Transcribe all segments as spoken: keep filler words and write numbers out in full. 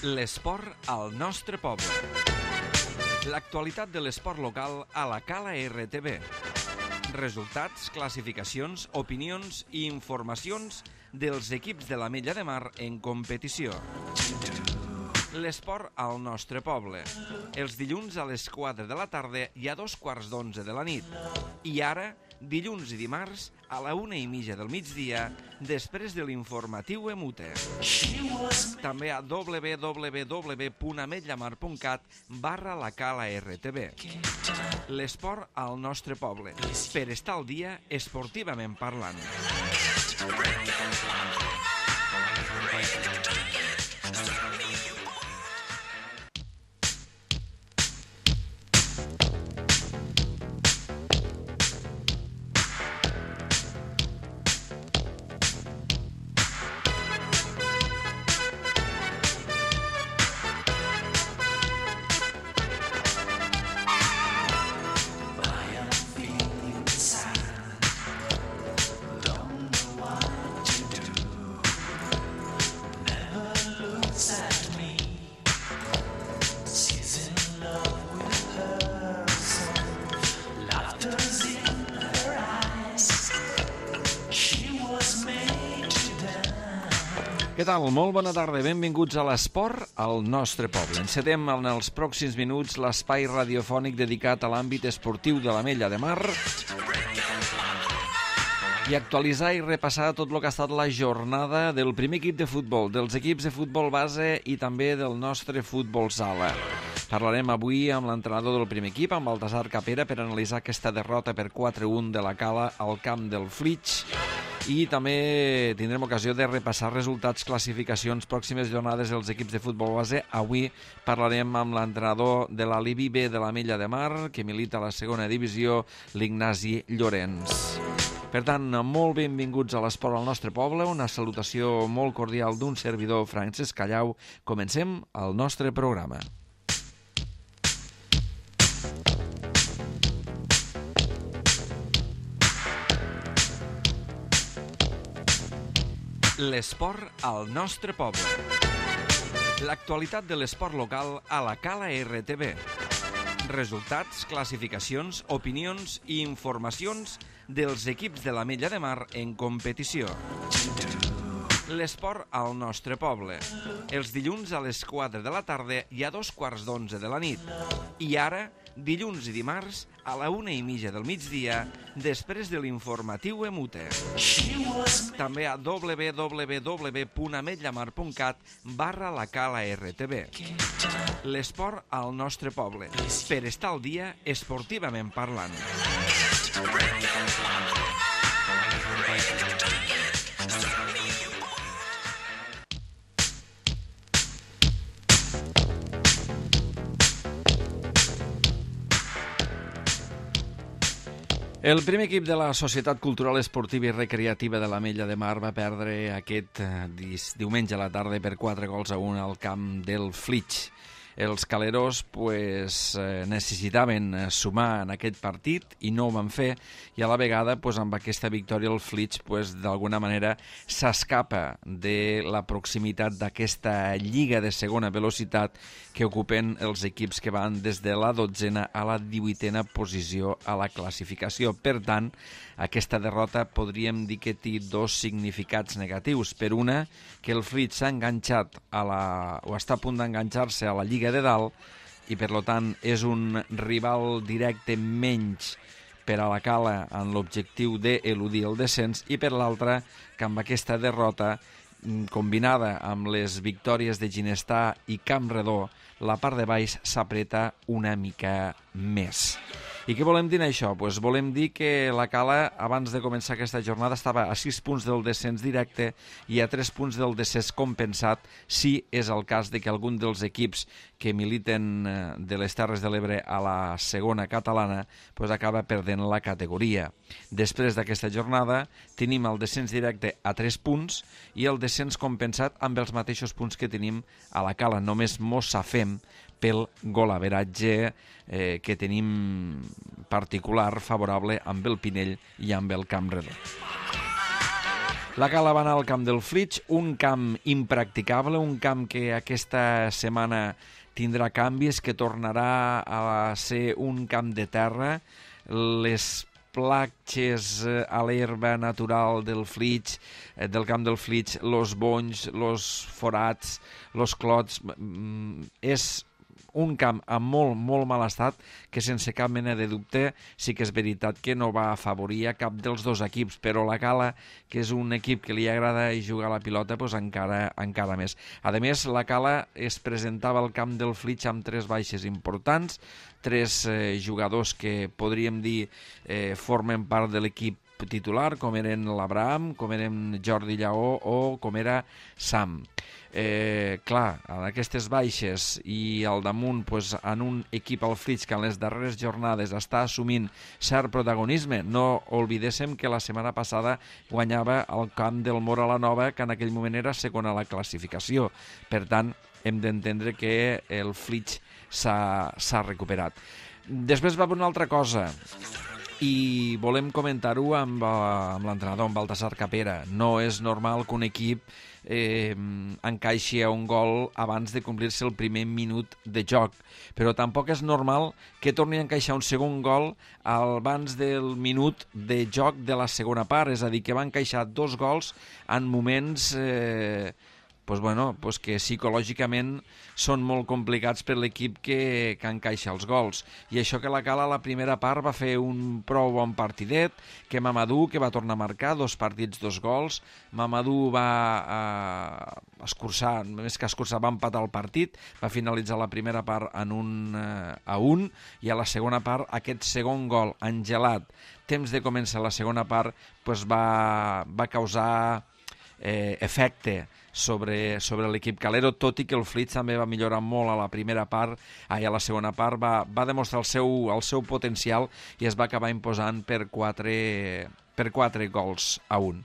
L'esport al nostre poble. L'actualitat de l'esport local a la Cala R T V. Resultats, classificacions, opinions i informacions dels equips de l'Ametlla de Mar en competició. L'esport al nostre poble. Els dilluns a les quatre de la tarda i a dos quarts d'onze de la nit. I ara, dilluns i dimarts, a la una i mitja del migdia, després de l'informatiu Emute. També a w w w punt ametlamar punt cat barra la Cala R T V. L'esport al nostre poble. Per estar al dia, esportivament parlant. Què tal? Molt bona tarda. Benvinguts a l'esport al nostre poble. Encetem en els pròxims minuts l'espai radiofònic dedicat a l'àmbit esportiu de l'Ametlla de Mar i actualitzar i repassar tot el que ha estat la jornada del primer equip de futbol, dels equips de futbol base i també del nostre futbol sala. Parlarem avui amb l'entrenador del primer equip, amb Baltasar Capera, per analitzar aquesta derrota per quatre a un de la Cala al camp del Flix. I també tindrem ocasió de repassar resultats, classificacions, pròximes jornades dels equips de futbol base. Avui parlarem amb l'entrenador de la Libi B de l'Ametlla de Mar, que milita a la segona divisió, l'Ignasi Llorenç. Per tant, molt benvinguts a l'esport al nostre poble, una salutació molt cordial d'un servidor, Francesc Callau. Comencem el nostre programa. L'esport al nostre poble. L'actualitat de l'esport local a la Cala R T V. Resultats, classificacions, opinions i informacions dels equips de l'Ametlla de Mar en competició. L'esport al nostre poble. Els dilluns a les quatre de la tarda i a dos quarts d'onze de la nit. I ara, dilluns i dimarts, a la una i mitja del migdia, després de l'informatiu Emute. També a w w w punt ametlamar punt cat barra la Cala R T V. L'esport al nostre poble. Per estar al dia, esportivament parlant. El primer equip de la Societat Cultural Esportiva i Recreativa de l'Ametlla de Mar va perdre aquest diumenge a la tarda per quatre gols a un al camp del Flix. Els caleros pues, necessitaven sumar en aquest partit i no ho van fer, i a la vegada pues, amb aquesta victòria el Flix pues, d'alguna manera s'escapa de la proximitat d'aquesta lliga de segona velocitat que ocupen els equips que van des de la dotzena a la divuitena posició a la classificació. Per tant, aquesta derrota podríem dir que té dos significats negatius. Per una, que el Flix s'ha enganxat a la, o està a punt d'enganxar-se a la Lliga de dalt i per tant és un rival directe menys per a la Cala en l'objectiu d'eludir el descens, i per l'altra que amb aquesta derrota combinada amb les victòries de Ginestà i Campredó, la part de baix s'apreta una mica més. I què volem dir això? Pues volem dir que la Cala, abans de començar aquesta jornada, estava a sis punts del descens directe i a tres punts del descens compensat, si és el cas de que algun dels equips que militen de les Terres de l'Ebre a la segona catalana pues acaba perdent la categoria. Després d'aquesta jornada tenim el descens directe a tres punts i el descens compensat amb els mateixos punts que tenim a la Cala. Només mos safem pel golaveratge eh, que tenim particular favorable amb el Pinell i amb el Campredó. La Cala va anar al camp del Flix, un camp impracticable, un camp que aquesta setmana tindrà canvis, que tornarà a ser un camp de terra. Les platges a l'herba natural del Flix, del camp del Flix, los bonys, los forats, los clots, és un camp amb molt, molt mal estat, que sense cap mena de dubte sí que és veritat que no va afavorir a cap dels dos equips, però la Cala, que és un equip que li agrada jugar a la pilota, doncs encara, encara més. A més, la Cala es presentava al camp del Flix amb tres baixes importants, tres eh, jugadors que podríem dir eh, formen part de l'equip titular, com eren l'Abraham, com eren Jordi Lleó o com era Sam. Eh, clar, en aquestes baixes i al damunt pues, en un equip al Flix que en les darreres jornades està assumint cert protagonisme. No oblidéssim que la setmana passada guanyava el camp del Mora la Nova, que en aquell moment era segon a la classificació. Per tant, hem d'entendre que el Flix s'ha recuperat. Després va haver una altra cosa, i volem comentar-ho amb, amb l'entrenador, amb Baltasar Capera. No és normal que un equip eh, encaixi a un gol abans de complir-se el primer minut de joc, però tampoc és normal que torni a encaixar un segon gol abans del minut de joc de la segona part, és a dir, que va encaixar dos gols en moments eh, pues bueno, pues que psicològicament són molt complicats per l'equip que, que encaixa els gols. I això que la Cala a la primera part va fer un prou bon partidet, que Mamadou, que va tornar a marcar, dos partits, dos gols. Mamadou va eh, escurçar, més que escurçar, va empatar el partit, va finalitzar la primera part en un eh, a un, i a la segona part aquest segon gol engelat, temps de començar la segona part, pues va, va causar eh, efecte sobre, sobre l'equip calero, tot i que el Flix també va millorar molt a la primera part, ai, a la segona part va, va demostrar el seu, el seu potencial i es va acabar imposant per quatre, per quatre gols a un.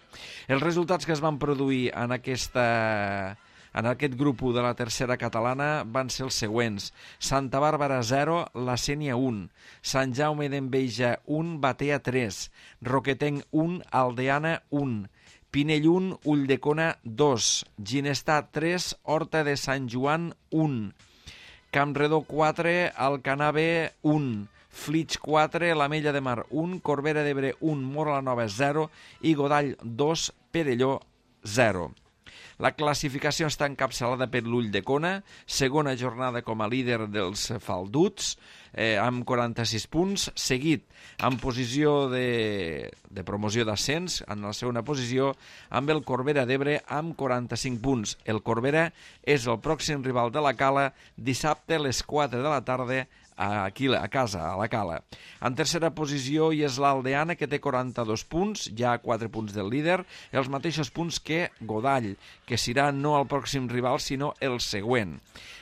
Els resultats que es van produir en aquesta... en aquest grup u de la tercera catalana van ser els següents: Santa Bàrbara zero, La Sénia un, Sant Jaume d'Enveja un, Batea tres, Roquetenc un, Aldeana un, Pinell un, Ulldecona dos, Ginestar tres, Horta de Sant Joan un, Campredó quatre, Alcanar B un, Flix quatre, l'Ametlla de Mar un, Corbera d'Ebre un, Mora la Nova zero i Godall dos, Perelló zero. La classificació està encapçalada per l'Ulldecona, segona jornada com a líder dels falduts, eh, amb quaranta-sis punts, seguit en posició de, de promoció d'ascens, en la segona posició, amb el Corbera d'Ebre amb quaranta-cinc punts. El Corbera és el pròxim rival de la Cala, dissabte a les quatre de la tarda, aquí a casa, a la Cala. En tercera posició hi és l'Aldeana, que té quaranta-dos punts, ja quatre punts del líder, els mateixos punts que Godall, que serà no el pròxim rival, sinó el següent.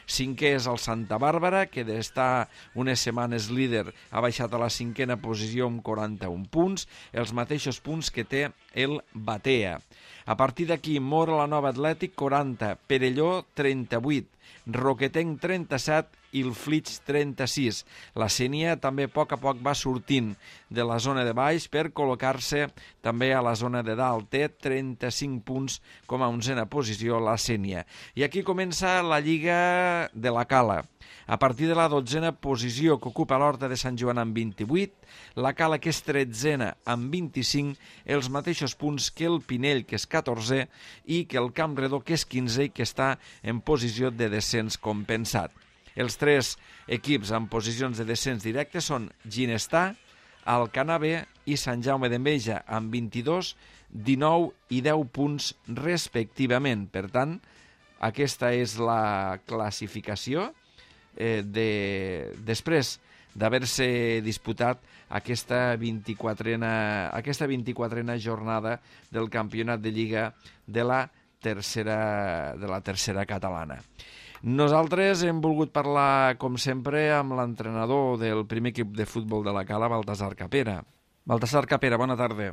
Cinquè és el Santa Bàrbara, que d'estar unes setmanes líder ha baixat a la cinquena posició amb quaranta-un punts, els mateixos punts que té el Batea. A partir d'aquí, Mora la Nova Atlètic, quaranta, Perelló, trenta-vuit, Roquetenc, trenta-set i el Flix, trenta-sis. La Sénia també a poc a poc va sortint de la zona de baix per col·locar-se també a la zona de dalt. Té trenta-cinc punts com a onzena posició la Sénia. I aquí comença la Lliga de la Cala. A partir de la dotzena posició que ocupa l'Horta de Sant Joan amb vint-i-vuit, la Cala, que és tretzena amb vint-i-cinc, els mateixos punts que el Pinell, que és catorzè, i que el Campredó, que és quinzè i que està en posició de descens compensat. Els tres equips en posicions de descens directe són Ginestar, Alcanar B i Sant Jaume d'Enveja amb vint-i-dos, dinou i deu punts respectivament. Per tant, aquesta és la classificació eh, de... després d'haver-se disputat aquesta vint-i-quatrena, aquesta vint-i-quatrena jornada del campionat de Lliga de la tercera, de la tercera catalana. Nosaltres hem volgut parlar, com sempre, amb l'entrenador del primer equip de futbol de la Cala, Baltasar Capera. Baltasar Capera, bona tarda.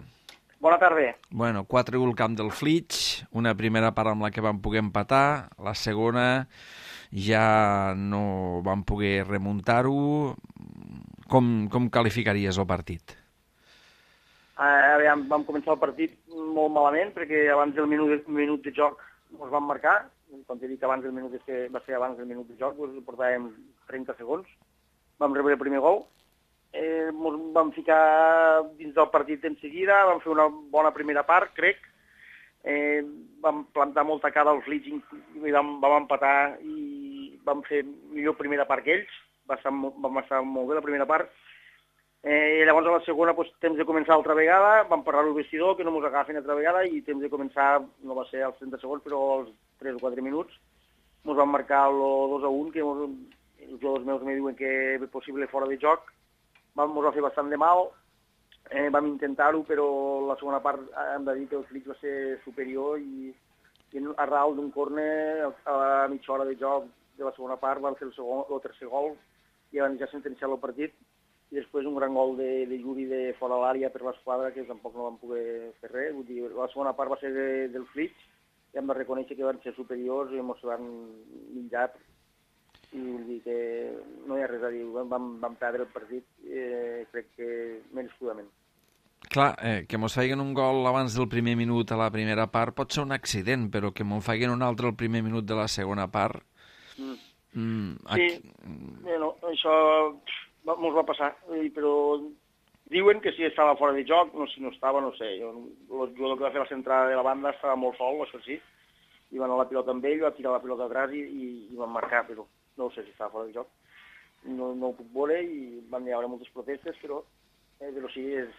Bona tarda. Bueno, quatre u al camp del Flix, una primera part amb la que vam poder empatar, la segona ja no vam poder remuntar-ho. Com, com qualificaries el partit? Uh, aviam, vam començar el partit molt malament, perquè abans del minut, minut de joc ens van marcar. Com t'he dit, abans del minut que va ser abans del minut de joc, doncs portàvem trenta segons. Vam rebre el primer gol. Eh, ens vam ficar dins del partit en seguida, vam fer una bona primera part, crec. Eh, vam plantar molta cara als Leeds i vam, vam empatar i vam fer millor primera part que ells. Va estar, vam estar molt bé la primera part. Eh, llavors a la segona, doncs, temps de començar altra vegada, vam parlar al vestidor, que no mos agafen altra vegada, i temps de començar, no va ser als trenta segons, però als tres o quatre minuts, ens van marcar el dos a un, que mos, els jugadors meus me diuen que és possible fora de joc. Vam, mos va fer bastant de mal, eh, vam intentar-ho, però la segona part hem de dir que el Flix va ser superior i, i a ral d'un córner a la mitja hora de joc de la segona part van fer el, segon, el tercer gol i van ja sentenciar el partit. I després un gran gol de, de Yuri de fora l'àrea per l'esquadra, que tampoc no van poder fer res. Vull dir, la segona part va ser de, del Flix, i hem de reconèixer que van ser superiors i ens van menjar. I vull dir que no hi ha res a dir, vam, vam perdre el partit, eh, crec que merescudament. Clar, eh, que mos feien un gol abans del primer minut a la primera part pot ser un accident, però que mos feien un altre al primer minut de la segona part... Mm. Mm, sí, aquí... bueno, això... Ens va passar, però diuen que si estava fora de joc, no, si no estava, no sé. Jo, el jugador que va fer la centrada de la banda estava molt sol, això sí, i va anar la pilota amb ell, va tirar la pilota atrás i, i, i van marcar, però no sé si estava fora de joc. No, no ho puc veure i van haver moltes protestes, però, eh, però sí, és,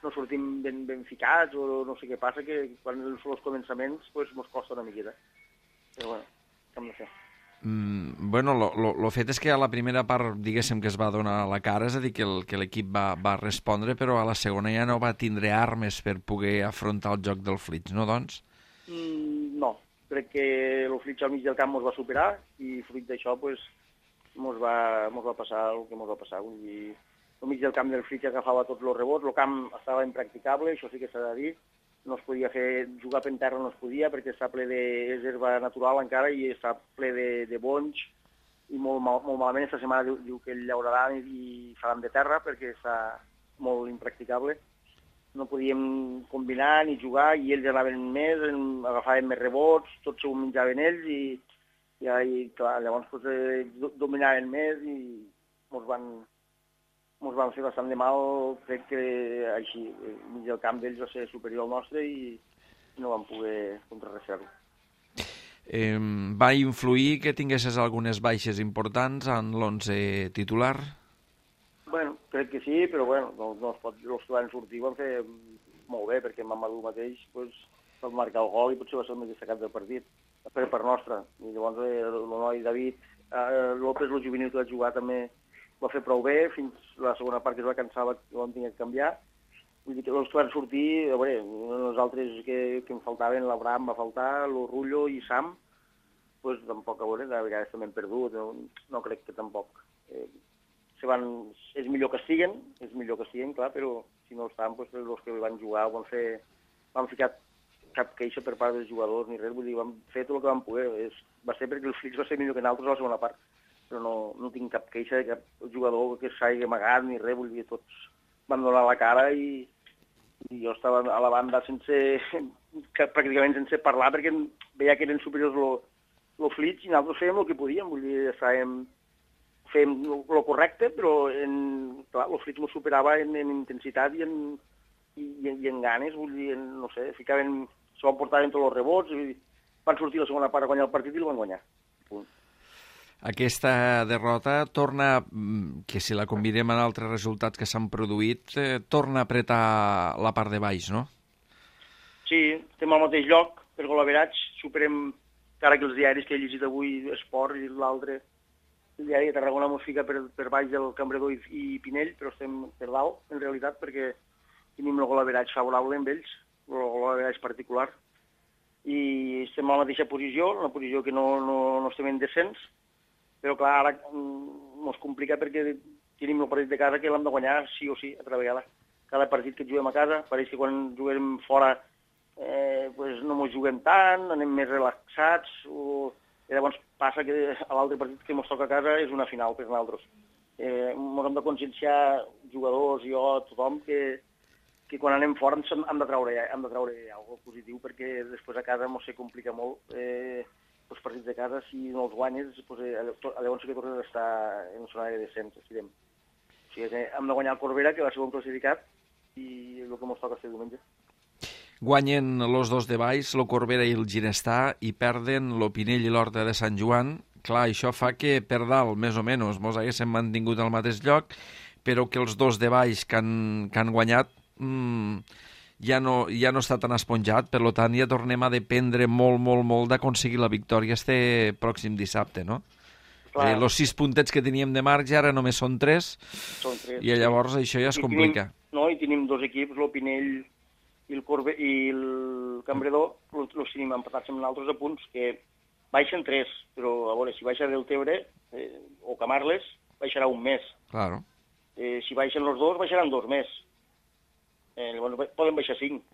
no sortim ben, ben ficats o no sé què passa, que quan són els començaments pues, mos costa una miqueta. Però bueno, què hem de fer? Mm, bueno, lo, lo, lo fet és que a la primera part, diguéssim, que es va donar la cara, és a dir, que l'equip va, va respondre, però a la segona ja no va tindre armes per poder afrontar el joc del Flix, no, doncs? Mm, no, crec que el Flix al mig del camp ens va superar i fruit d'això, pues, ens va, mos va passar el que ens va passar. Vull dir, al mig del camp del Flix agafava tots els rebots, el camp estava impracticable, això sí que s'ha de dir, no es podia fer, jugar per terra no es podia perquè està ple d'herba natural encara i està ple de, de bonys i molt, mal, molt malament aquesta setmana diu, diu que el llauraran i, i faran de terra perquè està molt impracticable. No podíem combinar ni jugar i ells anaven més, agafaven més rebots, tots s'ho menjaven ells i, i, i clar, llavors pues, eh, dominaven més i ens van... ens van fer bastant de mal, crec que així, mig del camp d'ells va ser superior al nostre i no vam poder contrarrestar-ho. Eh, va influir que tinguessis algunes baixes importants en l'onze titular? Bueno, crec que sí, però bueno, no, no es pot, els que van sortir van fer molt bé, perquè Mamadou mateix pues, va marcar el gol i potser va ser el més destacat del partit, per part nostra. I llavors eh, el noi David eh, López, el juvenil que va jugar també va fer prou bé, fins la segona part que es va cansar ho vam tenir que canviar. Vull dir que els que van sortir, a veure, nosaltres que, que em faltaven, l'Abraham va faltar, el Rullo i Sam, pues tampoc, a veure, de vegades també hem perdut, no, no crec que tampoc. Eh, se van, és millor que estiguen, és millor que estiguen, clar, però si no estan, pues, els que van jugar ho van fer, van ficar cap queixa per part dels jugadors ni res, vull dir, vam fer tot el que vam poder. És, va ser perquè el Flix va ser millor que nosaltres a la segona part, però no, no tinc cap queixa de cap jugador que s'hagi amagat ni res, vull dir, tots van donar la cara i, i jo estava a la banda sense, pràcticament sense parlar perquè veia que eren superiors el Flix i nosaltres fèiem el que podíem, vull dir, estàvem, fèiem el correcte, però en, clar, el Flix ens superava en, en intensitat i en, i, i en ganes, vull dir, en, no sé, ficaven, s'ho portaven tots els rebots i van sortir la segona part a guanyar el partit i el van guanyar. Punt. Aquesta derrota torna, que si la combinem amb altres resultats que s'han produït, eh, torna a apretar la part de baix, no? Sí, estem al mateix lloc, per golaverats, superem, encara que els diaris que he llegit avui, Esport i l'altre, el diari de Tarragona mos fica per, per baix del Cambredor i, i Pinell, però estem per dalt, en realitat, perquè tenim el golaveratge favorable amb ells, el golaveratge particular, i estem a la mateixa posició, una posició que no, no, no estem en descens, però clar, ara ens complica perquè tenim el partit de casa que l'hem de guanyar sí o sí, altra vegada. Cada partit que juguem a casa, pareix que quan juguem fora eh, pues no ens juguem tant, anem més relaxats, o... i llavors passa que a l'altre partit que ens toca a casa és una final per nosaltres. Eh, ens hem de conscienciar, jugadors, jo, tothom, que, que quan anem fora hem, hem de treure, hem de treure alguna cosa positiu, perquè després a casa mos se complica molt. Eh, els partits de casa, si no els guanyes, pues, eh, llavors sí que tornes a estar en una zona de descens, estirem. O sigui que hem de guanyar el Corbera, que va ser un classificat, i el que ens toca fer diumenge. Guanyen els dos de baix, el Corbera i el Ginestà, i perden l'Opinell i l'Horta de Sant Joan. Clar, això fa que per dalt, més o menys, mos haguéssim mantingut al mateix lloc, però que els dos de baix que han, que han guanyat mmm, ja, no, ja no està tan esponjat, per tant ja tornem a dependre molt, molt, molt d'aconseguir la victòria este pròxim dissabte, no? Clar. Els sis puntets que teníem de marge ara només són tres, són tres i llavors sí. Això ja es complica. Tenim, no, i tenim dos equips, l'Opinell i el Corbe i el Cambredor, els tenim empatats amb nosaltres a punts, que baixen tres, però a veure, si baixa Deltebre eh, o Camarles, baixarà un més. Claro. Eh, si baixen els dos, baixaran dos més. Eh, llavors poden baixar cinc.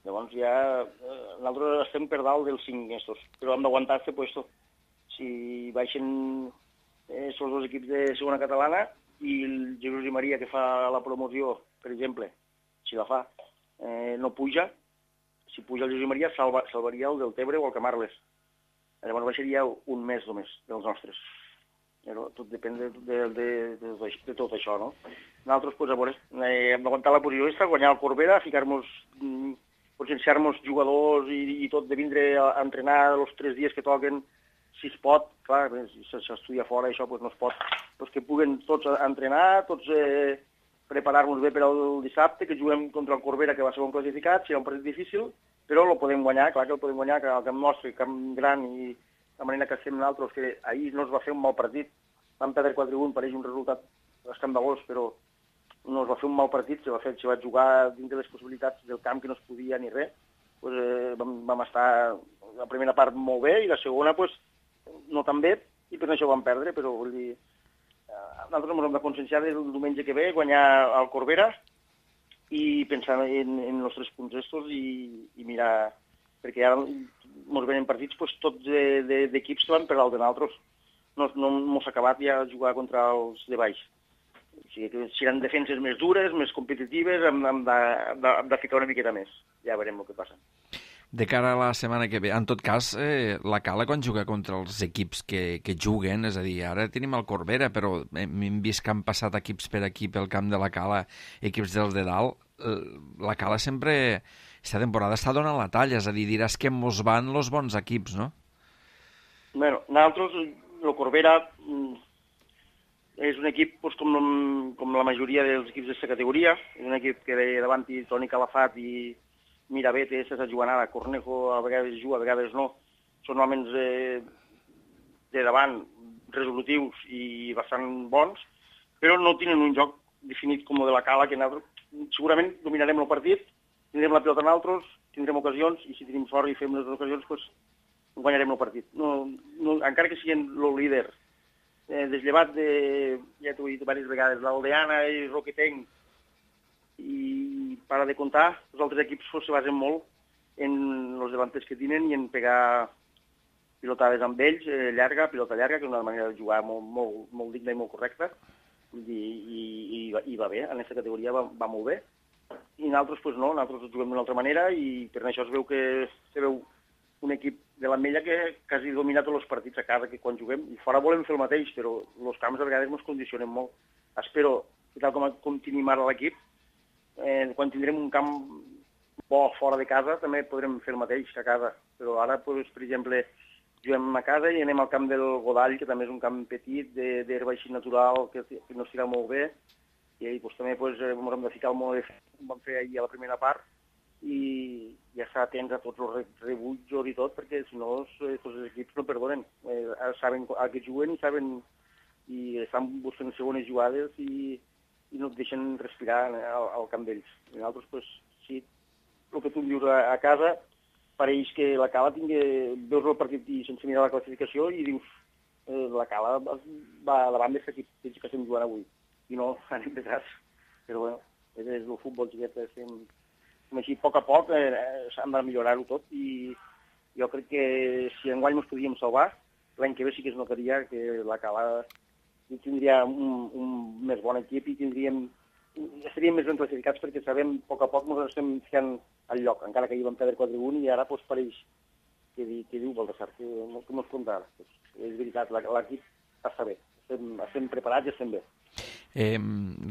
Llavors ja eh, nosaltres estem per dalt dels cinc estos, però hem d'aguantar este puesto. Si baixen eh, els dos equips de segona catalana i el Jesús i Maria, que fa la promoció, per exemple, si la fa, eh, no puja, si puja el Jesús i Maria salva, salvaria el Deltebre o el Camarles. Llavors baixaria un mes només dels nostres. Però tot depèn de, de, de, de, de tot això, no? Nosaltres, pues, a veure, eh, hem d'aguantar la posició aquesta, guanyar el Corbera, ficar-nos, mm, potenciar-nos jugadors i, i tot, de vindre a, a entrenar els tres dies que toquen, si es pot, clar, si s'estudia fora això, pues, no es pot, pues, que puguen tots a entrenar, tots eh, preparar-nos bé per al dissabte, que juguem contra el Corbera, que va ser un classificat, serà un partit difícil, però el podem guanyar, clar que el podem guanyar, que el camp nostre, camp gran, i la manera que estem nosaltres, que ahir no es va fer un mal partit, vam perdre quatre a un, pareix un resultat escandalós, però no es va fer un mal partit, se va, fer, se va jugar dins de les possibilitats del camp, que no es podia ni res, pues, eh, vam, vam estar la primera part molt bé, i la segona, pues, no tan bé, i per això vam perdre, però vull dir, eh, nosaltres ens hem de conscienciar el diumenge que ve, guanyar el Corbera, i pensar en, en els tres punts estos i, i mirar, perquè ara ens venen partits pues, tots d'equips de, de, que van per dalt de nosaltres. No, no ens ha acabat ja jugar contra els de baix. O sigui que seran defenses més dures, més competitives, hem, hem, de, hem, de, hem de ficar una miqueta més. Ja veurem el que passa. De cara a la setmana que ve, en tot cas, eh, la Cala quan juga contra els equips que, que juguen, és a dir, ara tenim el Corbera, però hem vist que han passat equips per aquí pel camp de la Cala, equips dels de dalt, la Cala sempre, aquesta temporada està donant la talla, és a dir, diràs que mos van els bons equips, no? Bueno, nosaltres, el Corbera és un equip pues, com, com la majoria dels equips d'aquesta categoria, és un equip que de davant hi Toni Calafat i Mirabete, César Juanada, Cornejo, a vegades juga, a vegades no, són homes eh, de davant resolutius i bastant bons, però no tenen un joc definit com el de la Cala, que nosaltres segurament dominarem el partit, tindrem la pilota nosaltres, tindrem ocasions, i si tenim sort i fem les ocasions, pues, guanyarem el partit. No, no, encara que siguin el líder, eh, desllevat de, ja t'ho he dit diverses vegades, l'Aldeana i Roquetenc, i para de comptar, els altres equips pues, se basen molt en els davanters que tenen i en pegar pilotades amb ells, eh, llarga, pilota llarga, que és una manera de jugar molt, molt, molt digna i molt correcta, i, i, i, i va bé, en aquesta categoria va, va molt bé. I nosaltres, pues no, nosaltres juguem d'una altra manera i per això es veu que se veu un equip de l'Ametlla que quasi domina tots els partits a casa, que quan juguem, i fora volem fer el mateix, però els camps a vegades ens condicionen molt. Espero, tal com, com tenim ara l'equip, eh, quan tindrem un camp bo fora de casa també podrem fer el mateix a casa, però ara, pues, per exemple, juguem a casa i anem al camp del Godall, que també és un camp petit, d'herba així natural, que, que no estirà molt bé, i ahí, pues, també pues, ens hem de ficar el mode que vam fer ahir a la primera part, i ja estar atents a tots els rebutjos i tot, perquè si no els, els equips no perdonen. Eh, saben a què juguen i saben i estan buscant segones jugades i, i no et deixen respirar al, al camp d'ells. I nosaltres, pues, sí, el que tu em dius a, a casa, pareix que la Cala tingui, veus el partit i sense mirar la classificació i dius eh, la Cala va davant d'aquest equip que estem jugant avui. I no, anem detrás. Però bueno, és el futbol, xiquet, estem així a poc a poc, eh, s'han de millorar-ho tot i jo crec que si enguany ens podíem salvar, l'any que ve sí que es notaria que la Cala tindria un, un més bon equip i tindríem estaríem més ben classificats perquè sabem, a poc a poc, ens estem ficant al lloc, encara que hi vam perdre quatre a un i ara doncs, pareix que, di, que diu Baltasar, que no, que no es compta ara. Pues, és veritat, l'equip està bé, estem, estem preparats i estem bé. Eh,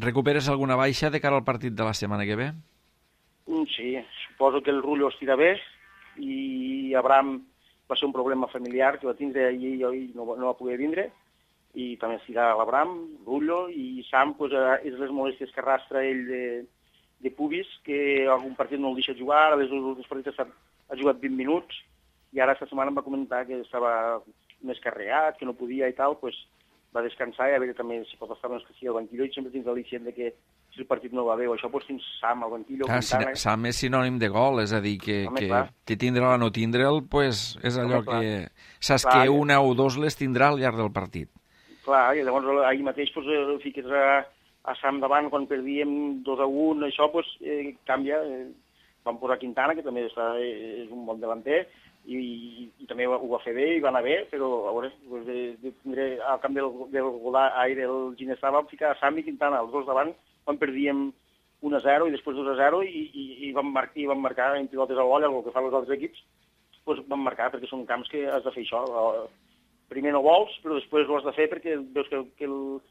recuperes alguna baixa de cara al partit de la setmana que ve? Sí, suposo que el Rullo estirà bé i Abraham va ser un problema familiar que va tindre ahir i ahir no, no va poder vindre, i també estirà l'Abraham, Rullo, i Sam pues, és les molèsties que arrastra ell de, de pubis, que algun partit no el deixa jugar, a les últims partits ha, ha jugat vint minuts, i ara aquesta setmana em va comentar que estava més carregat, que no podia i tal, pues, va descansar i a veure també si pot estar més que sigui al banquillo, i sempre tens l'al·licient de que si el partit no va bé o això, doncs tens Sam al banquillo. Ah, Quintana. Sam és sinònim de gol, és a dir, que, Home, que té tindre'l o no tindre'l, pues, és allò Home, que saps clar, que una o dos les tindrà al llarg del partit. Clar, i llavors ahir mateix pues, el fiques a, a Sam davant quan perdíem dos a un, això pues, eh, canvia. Eh, vam posar Quintana, que també està, eh, és un bon delanter, i, i, i també ho va fer bé i va anar bé, però a veure, pues, de, de tindre al camp del, del Godà, ai, del Ginestà, vam ficar Sam i Quintana, els dos davant, quan perdíem un a zero i després dos a zero i, i, i, vam, mar i vam marcar en pilotes a l'olla, el que fan els altres equips, pues, vam marcar perquè són camps que has de fer això. Primer no vols, però després ho has de fer perquè veus que, que, el,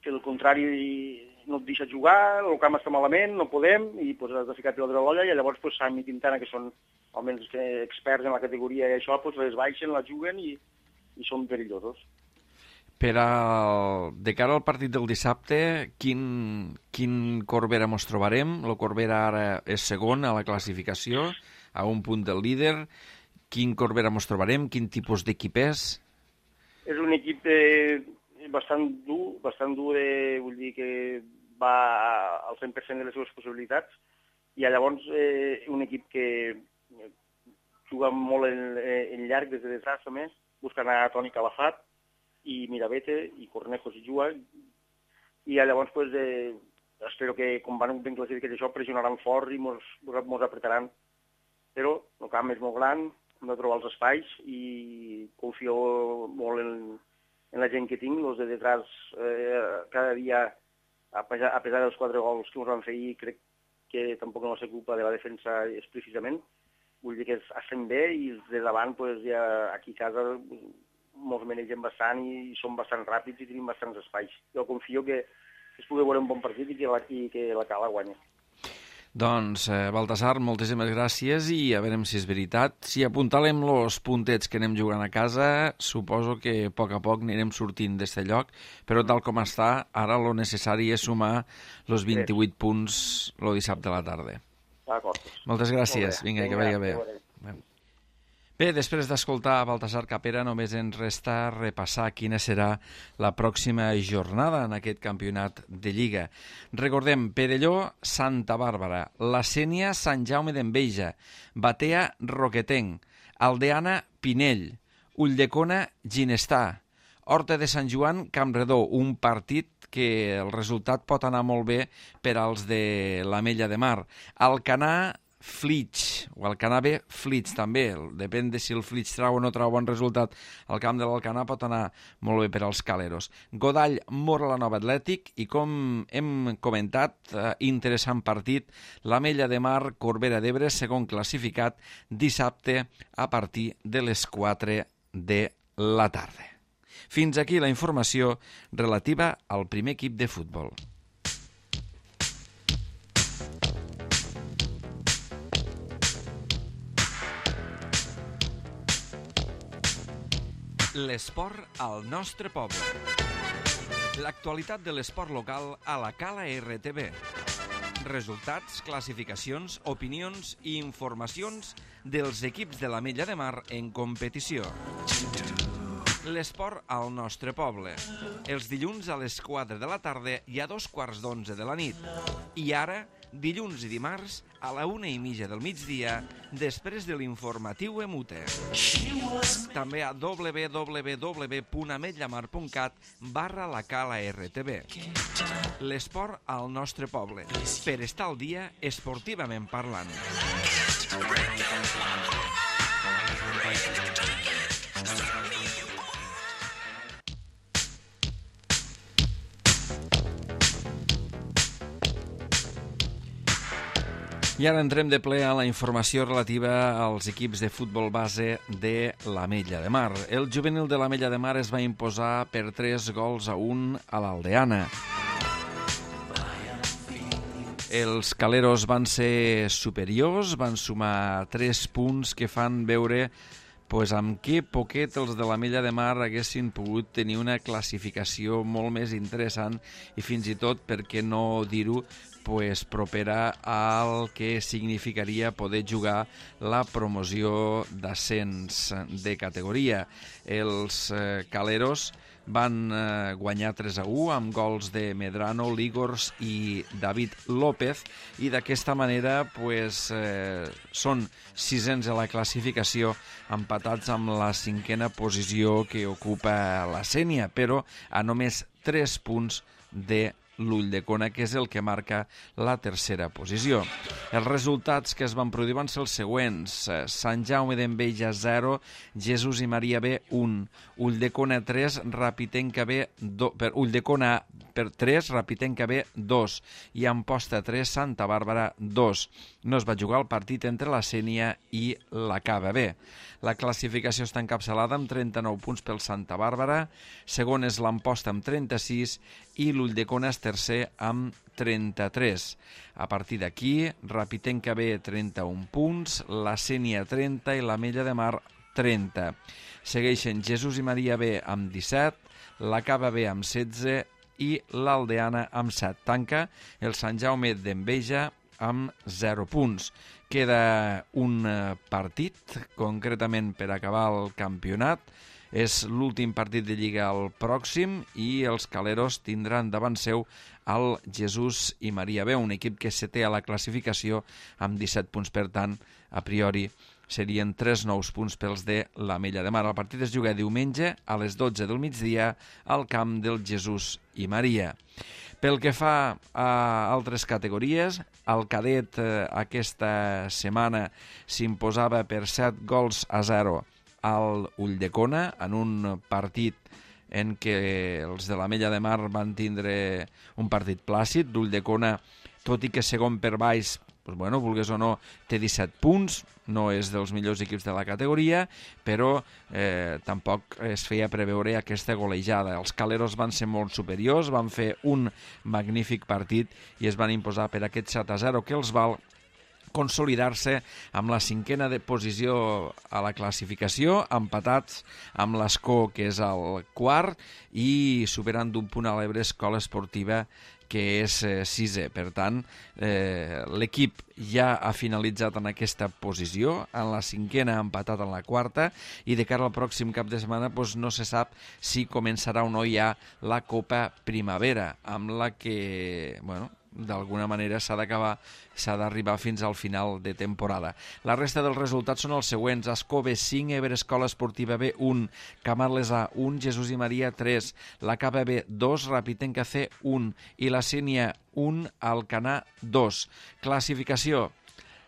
que el contrari no et deixa jugar, el camp està malament, no podem, i pues, has de ficar pilotes a l'olla, i llavors pues, Sam i Quintana, que són almenys experts en la categoria i això, pues, les baixen, la juguen i, i són perillosos. Per al, de cara al partit del dissabte, quin, quin Corbera mos trobarem? El Corbera ara és segon a la classificació, a un punt del líder. Quin Corbera mos trobarem? Quin tipus d'equip és? És un equip eh, bastant dur, bastant dur, de, vull dir que va al cent per cent de les seves possibilitats, i llavors eh, un equip que juga molt en, en llarg des de detrás també, buscant a Toni Calafat i Mirabete i Cornejo si juga, i llavors pues, eh, espero que com van ben classificats això pressionaran fort i mos, mos apretaran, però el camp és molt gran, hem de trobar els espais i confio molt en, en la gent que tinc, els de detrás eh, cada dia, a pesar, a pesar dels quatre gols que ens van fer ahir, crec que tampoc no va ser culpa de la defensa explícitament, vull dir que estem bé i els de davant pues, ja aquí a casa ens manegem bastant i som bastant ràpids i tenim bastants espais. Jo confio que es pugui veure un bon partit i que la, i que la Cala guanya. Doncs, eh, Baltasar, moltíssimes gràcies i a veure si és veritat. Si apuntalem els puntets que anem jugant a casa, suposo que a poc a poc anirem sortint d'aquest lloc, però tal com està, ara lo necessari és sumar els vint-i-vuit punts el dissabte a la tarda. D'acord. Moltes gràcies. Vinga, que vagi bé. Bé, després d'escoltar Baltasar Capera, només ens resta repassar quina serà la pròxima jornada en aquest campionat de Lliga. Recordem, Perelló, Santa Bàrbara, La Sénia, Sant Jaume d'Enveja, Batea, Roquetenc, Aldeana, Pinell, Ulldecona, Ginestà, Horta de Sant Joan, Campredó, un partit que el resultat pot anar molt bé per als de l'Ametlla de Mar. Alcanar, Flix, o Alcanar B, Flix també, depèn de si el Flix trau o no trau bon resultat. El camp de l'Alcanar pot anar molt bé per als caleros. Godall, Mora la Nova Atlètic, i com hem comentat, eh, interessant partit, l'Ametlla de Mar, Corbera d'Ebre, segon classificat, dissabte a partir de les quatre de la tarda. Fins aquí la informació relativa al primer equip de futbol. L'esport al nostre poble. L'actualitat de l'esport local a la Cala R T V. Resultats, classificacions, opinions i informacions dels equips de l'Ametlla de Mar en competició. L'esport al nostre poble. Els dilluns a les quatre de la tarda i a dos quarts d'onze de la nit. I ara, dilluns i dimarts, a la una i mitja del migdia, després de l'informatiu Emute. També a w w w punt ametllamar punt cat barra la Cala R T V. L'esport al nostre poble. Per estar al dia, esportivament parlant. I ara entrem de ple a la informació relativa als equips de futbol base de l'Ametlla de Mar. El juvenil de l'Ametlla de Mar es va imposar per tres gols a un a l'Aldeana. Els caleros van ser superiors, van sumar tres punts que fan veure pues, amb què poquet els de l'Ametlla de Mar haguessin pogut tenir una classificació molt més interessant i fins i tot, per què no dir-ho, pues, propera al que significaria poder jugar la promoció d'ascens de categoria. Els eh, caleros van eh, guanyar tres a u amb gols de Medrano, Ligors i David López i d'aquesta manera pues, eh, són sisens a la classificació empatats amb la cinquena posició que ocupa la Sénia, però a només tres punts de l'Ulldecona, que és el que marca la tercera posició. Els resultats que es van produir van ser els següents: Sant Jaume d'Enveja zero, Jesús i Maria B un, Ulldecona tres, Rapitenca B dos, per Ulldecona per tres, Rapitenca B dos i Amposta tres, Santa Bàrbara dos. No es va jugar el partit entre la Sénia i la Cava B. La classificació està encapçalada amb trenta-nou punts pel Santa Bàrbara, segon és l'Amposta amb trenta-sis i l'Ulldecona és tercer amb trenta-tres. A partir d'aquí, Rapitenca B trenta-un punts, la Sénia trenta i l'Ametlla de Mar trenta. Segueixen Jesús i Maria B amb disset, la Cava B amb setze i l'Aldeana amb set. Tanca el Sant Jaume d'Enveja amb zero punts. Queda un partit, concretament per acabar el campionat. És l'últim partit de Lliga el pròxim i els caleros tindran davant seu el Jesús i Maria B, un equip que se té a la classificació amb disset punts. Per tant, a priori, serien tres nous punts pels de l'Ametlla de Mar. El partit es juga diumenge a les dotze del migdia al camp del Jesús i Maria. Pel que fa a altres categories, el cadet eh, aquesta setmana s'imposava per set gols a zero al Ulldecona en un partit en què els de l'Ametlla de Mar van tindre un partit plàcid. L'Ulldecona, tot i que segon per baix, pues bueno, vulgues o no, té disset punts, no és dels millors equips de la categoria, però eh, tampoc es feia preveure aquesta golejada. Els caleros van ser molt superiors, van fer un magnífic partit i es van imposar per aquest set a zero que els val consolidar-se amb la cinquena de posició a la classificació, empatats amb l'Escó, que és el quart, i superant d'un punt a l'Ebre Escola Esportiva, que és eh, sisè. Per tant, eh, l'equip ja ha finalitzat en aquesta posició, en la cinquena ha empatat en la quarta, i de cara al pròxim cap de setmana doncs, no se sap si començarà o no ja la Copa Primavera, amb la que, bueno, d'alguna manera s'ha d'acabar, s'ha d'arribar fins al final de temporada. La resta dels resultats són els següents: Escó B cinc, Ebre Escola Esportiva B un, Camarles A un, Jesús i Maria tres, la Cava B dos, Rapitenca C un i la Sénia un, Alcanar dos. Classificació: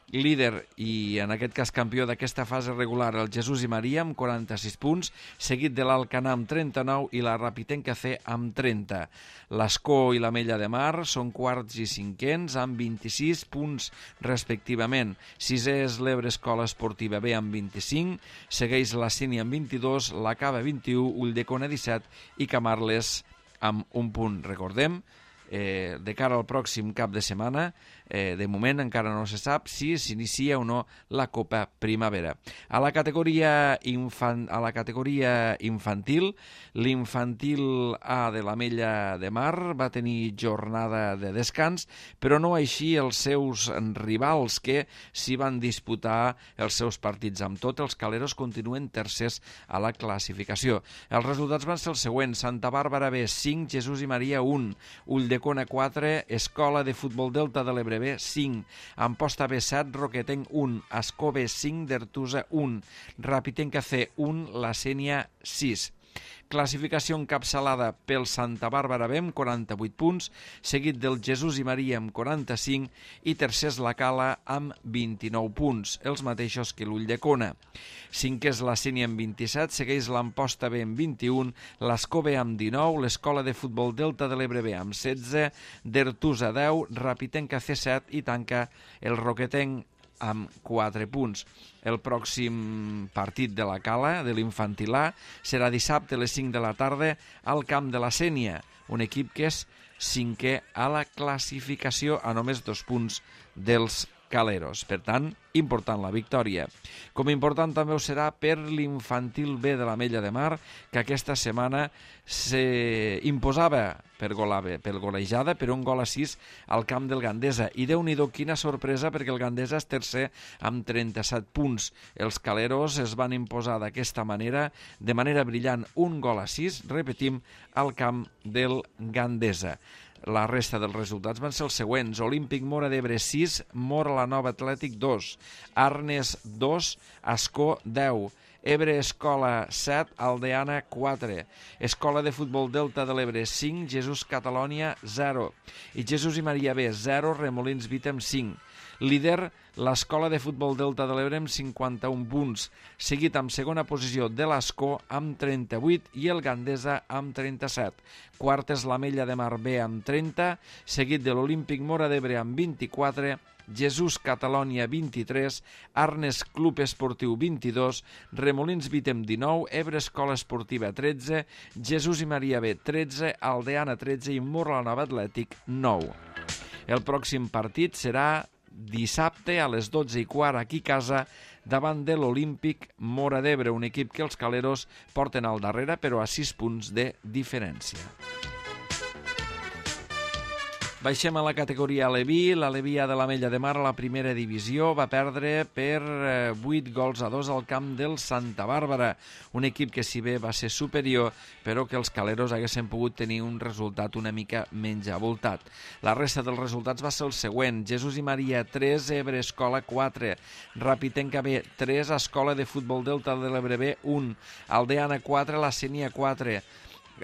líder i en aquest cas campió d'aquesta fase regular el Jesús i Maria amb quaranta-sis punts, seguit de l'Alcanar amb trenta-nou i la Rapitenca C amb trenta. L'Escó i l'Ametlla de Mar són quarts i cinquens amb vint-i-sis punts respectivament. Sisè és l'Ebre Escola Esportiva B amb vint-i-cinc, segueix la Sénia amb vint-i-dos, la Cava vint-i-u, Ulldecona disset i Camarles amb un punt. Recordem, eh, de cara al pròxim cap de setmana, eh, de moment encara no se sap si s'inicia o no la Copa Primavera. A la categoria, infan, a la categoria infantil, l'infantil A de l'Ametlla de Mar va tenir jornada de descans, però no així els seus rivals que s'hi van disputar els seus partits. Amb tot, els caleros continuen tercers a la classificació. Els resultats van ser els següents: Santa Bàrbara B cinc, Jesús i Maria un, Ulldecona quatre, Escola de Futbol Delta de l'Ebre B cinc, Amposta B set, Roquetenc un, Escó B cinc, Dertusa un, Rapitenca C un, la Sénia sis. Classificació encapçalada pel Santa Bàrbara B amb quaranta-vuit punts, seguit del Jesús i Maria amb quaranta-cinc i tercers la Cala amb vint-i-nou punts, els mateixos que l'Ulldecona. Cinquè és la Sénia amb vint-i-set, segueix l'Amposta B amb vint-i-un, l'Escó B amb dinou, l'Escola de Futbol Delta de l'Ebre B amb setze, d'Ertusa deu, Rapitenca C set i tanca el Roquetenc amb quatre punts. El pròxim partit de la Cala, de l'Infantil A, serà dissabte a les cinc de la tarda al camp de la Sénia, un equip que és cinquè a la classificació a només dos punts dels Caleros. Per tant, important la victòria. Com important també ho serà per l'Infantil B de l'Ametlla de Mar, que aquesta setmana s'imposava per, per golejada per un gol a sis al camp del Gandesa. I Déu-n'hi-do, quina sorpresa, perquè el Gandesa és tercer amb trenta-set punts. Els Caleros es van imposar d'aquesta manera, de manera brillant, un gol a sis, repetim, al camp del Gandesa. La resta dels resultats van ser els següents. Olímpic Móra d'Ebre sis, Móra la Nova Atlètic dos, Arnes dos, Ascó deu, Ebre Escola set, Aldeana quatre, Escola de Futbol Delta de l'Ebre cinc, Jesús Catalònia zero i Jesús i Maria B zero, Remolins Vítem cinc. Líder, l'Escola de Futbol Delta de l'Ebre amb cinquanta-un punts, seguit amb segona posició de l'Escó amb trenta-vuit i el Gandesa amb trenta-set. Quart és l'Ametlla de Mar B amb trenta, seguit de l'Olímpic Móra d'Ebre amb vint-i-quatre, Jesús Catalònia vint-i-tres, Arnes Club Esportiu vint-i-dos, Remolins Vítem dinou, Ebre Escola Esportiva tretze, Jesús i Maria B tretze, Aldeana tretze i Móra la Nova Atlètic nou. El pròxim partit serà dissabte a les dotze i quart aquí a casa davant de l'Olímpic Móra d'Ebre, un equip que els Caleros porten al darrere però a sis punts de diferència. Baixem a la categoria Aleví. L'Aleví A de l'Ametlla de Mar a la primera divisió va perdre per vuit gols a dos al camp del Santa Bàrbara, un equip que si bé va ser superior, però que els Caleros haguessin pogut tenir un resultat una mica menys avoltat. La resta dels resultats va ser el següent: Jesús i Maria tres, Ebre Escola quatre, Rapitenca B tres, Escola de Futbol Delta de l'Ebre B un, Aldeana quatre, la Sénia quatre,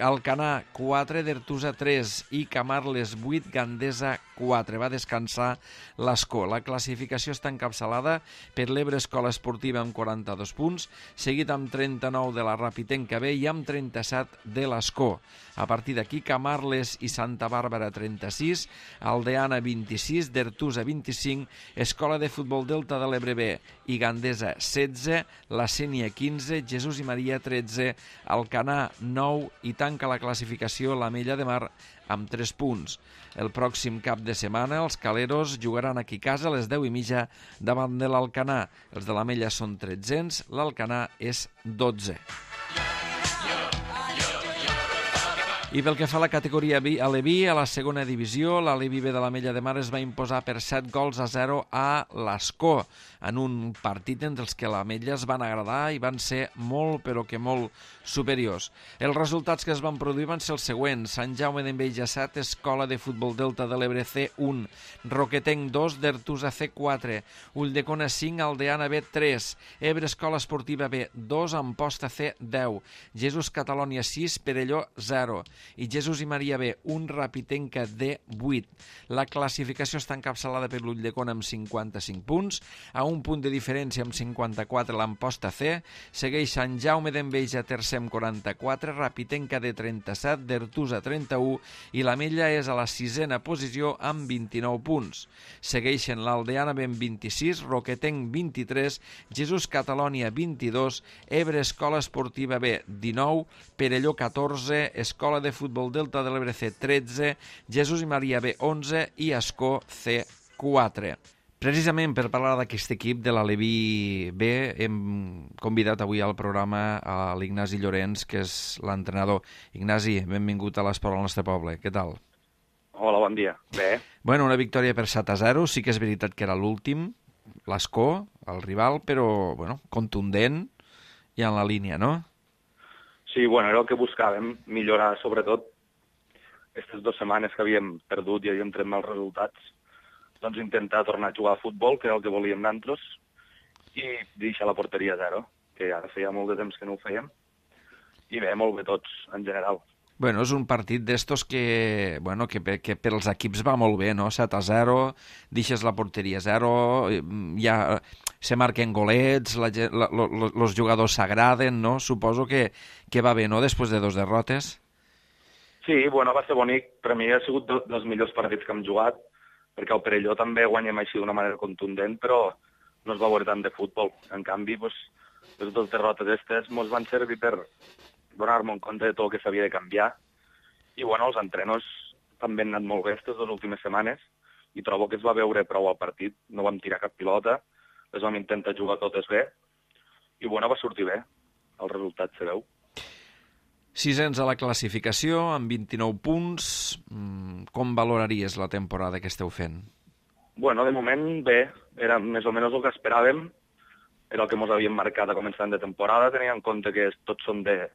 Alcanar quatre, d'Ertusa tres i Camarles vuit, Gandesa quatre. Va descansar l'Escó. La classificació està encapçalada per l'Ebre Escola Esportiva amb quaranta-dos punts, seguit amb trenta-nou de la Rapitenca B i amb trenta-set de l'Escó. A partir d'aquí, Camarles i Santa Bàrbara trenta-sis, Aldeana vint-i-sis, d'Ertusa vint-i-cinc, Escola de Futbol Delta de l'Ebre B i Gandesa setze, la Sénia quinze, Jesús i Maria tretze, Alcanar nou i tanca la classificació l'Ametlla de Mar amb tres punts. El pròxim cap de setmana els Caleros jugaran aquí a casa a les deu i mitja davant de l'Alcanar. Els de l'Ametlla són tretzens, l'Alcanar és dotze. I pel que fa a la categoria Aleví, a la segona divisió, l'Aleví B de l'Ametlla de Mar es va imposar per set gols a zero a l'Escó, en un partit entre els que l'Ametlla es van agradar i van ser molt, però que molt superiors. Els resultats que es van produir van ser els següents: Sant Jaume d'Enveja set, Escola de Futbol Delta de l'Ebre C un, Roquetenc dos, d'Ertusa C quatre, Ulldecona cinc, Aldeana B tres, Ebre Escola Esportiva B dos, Amposta C deu, Jesús Catalònia sis, Perelló zero i Jesús i Maria B un, Rapitenca D vuit. La classificació està encapçalada per l'Ulldecona amb cinquanta-cinc punts, a un punt de diferència amb cinquanta-quatre l'Amposta C, segueix Sant Jaume d'Enveja tercer amb quaranta-quatre, Rapitenca D trenta-set, d'Ertusa trenta-u i l'Ametlla és a la sisena posició amb vint-i-nou punts. Segueixen l'Aldeana B amb vint-i-sis, Roquetenc vint-i-tres, Jesús Catalònia vint-i-dos, Ebre Escola Esportiva B dinou, Perelló catorze, Escola de Futbol Delta de l'Ebre C tretze, Jesús i Maria B onze i Escó C quatre. Precisament per parlar d'aquest equip de l'Aleví B hem convidat avui al programa a l'Ignasi Llorenç, que és l'entrenador. Ignasi, benvingut a l'Esport al nostre poble. Què tal? Hola, bon dia. Bé. Bueno, una victòria per set a zero. Sí que és veritat que era l'últim, l'Escó, el rival, però bueno, contundent i en la línia, no? Sí, bueno, era el que buscàvem, millorar sobretot aquestes dues setmanes que havíem perdut i havíem tret mals resultats, doncs intentar tornar a jugar a futbol, que era el que volíem nosaltres, i deixar la porteria a zero, que ara feia molt de temps que no ho fèiem, i bé, molt bé tots, en general. Bueno, és un partit d'estos que, bueno, que, que per als equips va molt bé, no? set a zero, deixes la porteria a zero, ja se marquen golets, la, la, lo, lo, los jugadors s'agraden, no? Suposo que, que va bé, no?, després de dos derrotes. Sí, bueno, va ser bonic. Per mi ha sigut dels millors partits que hem jugat, perquè el Perelló també guanyem així d'una manera contundent, però no es va veure tant de futbol. En canvi, pues, les dues derrotes aquestes ens van servir per donar-me en compte de tot el que s'havia de canviar. I, bueno, els entrenos també han anat molt bé aquestes dues últimes setmanes i trobo que es va veure prou al partit. No vam tirar cap pilota, les vam intentar jugar totes bé i, bueno, va sortir bé. El resultat se veu. Sisens a la classificació, amb vint-i-nou punts. Com valoraries la temporada que esteu fent? Bueno, de moment bé. Era més o menys el que esperàvem. Era el que ens havíem marcat a començament de temporada, tenint en compte que tots són de,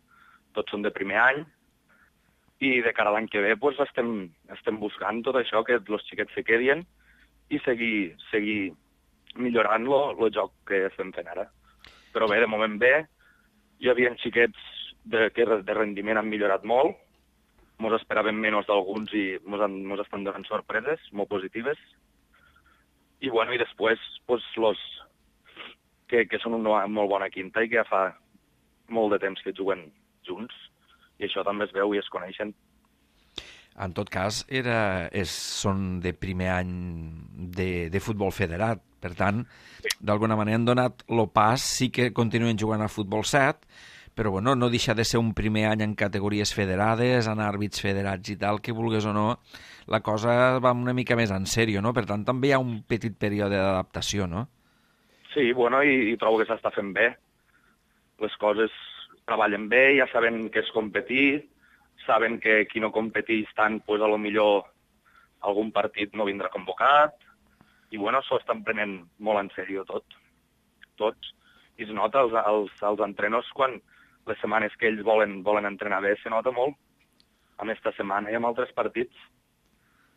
tots són de primer any. I de cara a l'any que ve pues, estem, estem buscant tot això, que els xiquets se quedin i seguir, seguir millorant el joc que estem fent ara. Però bé, de moment bé. Hi havia xiquets de, que de rendiment han millorat molt. Ens esperàvem menys d'alguns i ens estan donant sorpreses molt positives. I, bueno, i després, pues, los que, que són una molt bona quinta i que ja fa molt de temps que juguen junts. I això també es veu i es coneixen. En tot cas, era, és, són de primer any de, de futbol federat. Per tant, sí, d'alguna manera han donat el pas, sí que continuen jugant a futbol set, però bueno, no deixa de ser un primer any en categories federades, en àrbits federats i tal, que vulguis o no, la cosa va una mica més en sèrio, no? Per tant, també hi ha un petit període d'adaptació, no? Sí, bueno, i, i trobo que s'està fent bé. Les coses treballen bé, ja saben què és competir, saben que qui no competeix tant, pues, a lo millor algun partit no vindrà convocat, i bueno, s'ho estan prenent molt en sèrio tot, tots. I es nota als, als, als entrenos quan les setmanes que ells volen, volen entrenar bé, se nota molt. Amb esta setmana i amb altres partits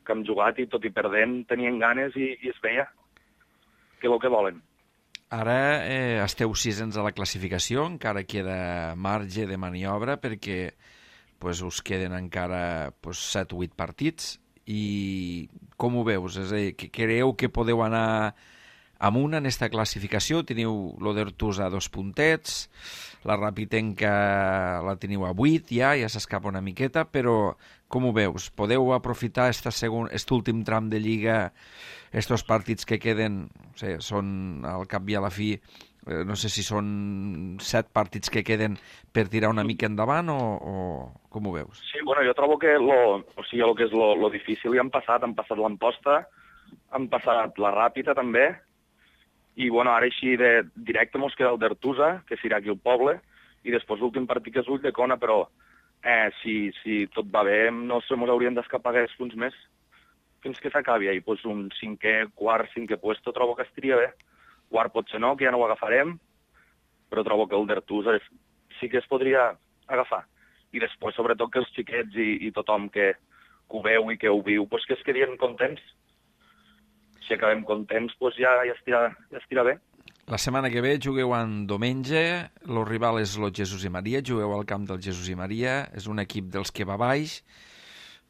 que hem jugat i tot i perdent tenien ganes i, i es veia que és el que volen. Ara eh, esteu sisens a la classificació, encara queda marge de maniobra perquè pues, us queden encara pues, set o vuit partits. I com ho veus? És a dir, que creieu que podeu anar amunt en aquesta classificació? Teniu l'Odertus a dos puntets, la Rapitenca la teniu a vuit ja, ja s'escapa una miqueta, però com ho veus? Podeu aprofitar aquest últim tram de Lliga, estos partits que queden, no sé, són al cap i a la fi, eh, no sé si són set partits que queden per tirar una mica endavant o, o com ho veus? Sí, bueno, jo trobo que lo, o sigui, el que és lo, lo difícil ja han passat, han passat l'Amposta, han passat la Ràpita també, i bueno, ara així de directe mos queda el d'Artusa, que serà aquí al poble, i després l'últim partit que és Ulldecona, però eh, si, si tot va bé no se mos haurien d'escapar aquests punts més fins que s'acabi. I pues, un cinquè, quart, cinquè puesto trobo que estaria bé. Quart potser no, que ja no ho agafarem, però trobo que el d'Artusa sí que es podria agafar. I després, sobretot, que els xiquets i, i tothom que, que ho veu i que ho viu, pues, que es quedin contents. Si acabem contents, pues ja, ja, estirà, ja estirà bé. La setmana que ve jugueu en diumenge, el rival és el Jesús i Maria, jugueu al camp del Jesús i Maria, és un equip dels que va baix.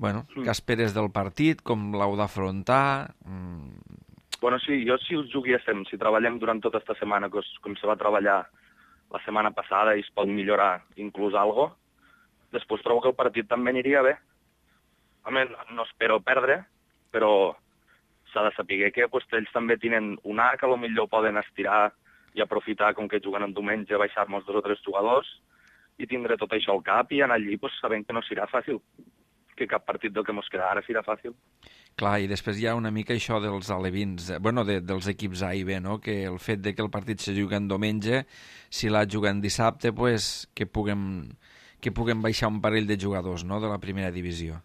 Bueno, mm. Què esperes del partit, com l'heu d'afrontar? Mm. Bueno, sí, jo si us juguéssim, si treballem durant tota aquesta setmana, com, com se va treballar la setmana passada i es pot millorar inclús algo, després trobo que el partit també aniria bé. A més, no espero perdre, però s'ha de saber que pues, ells també tenen un A que potser poden estirar i aprofitar, com que juguen en diumenge, baixar-nos dos o tres jugadors i tindre tot això al cap i anar allí pues, sabent que no serà fàcil, que cap partit del que ens queda ara serà fàcil. Clar, i després hi ha una mica això dels alevins, bueno, de, dels equips A i B, no? Que el fet de que el partit se jugui en diumenge, si l'ha jugat en dissabte, pues, que, puguem, que puguem baixar un parell de jugadors, no?, de la primera divisió.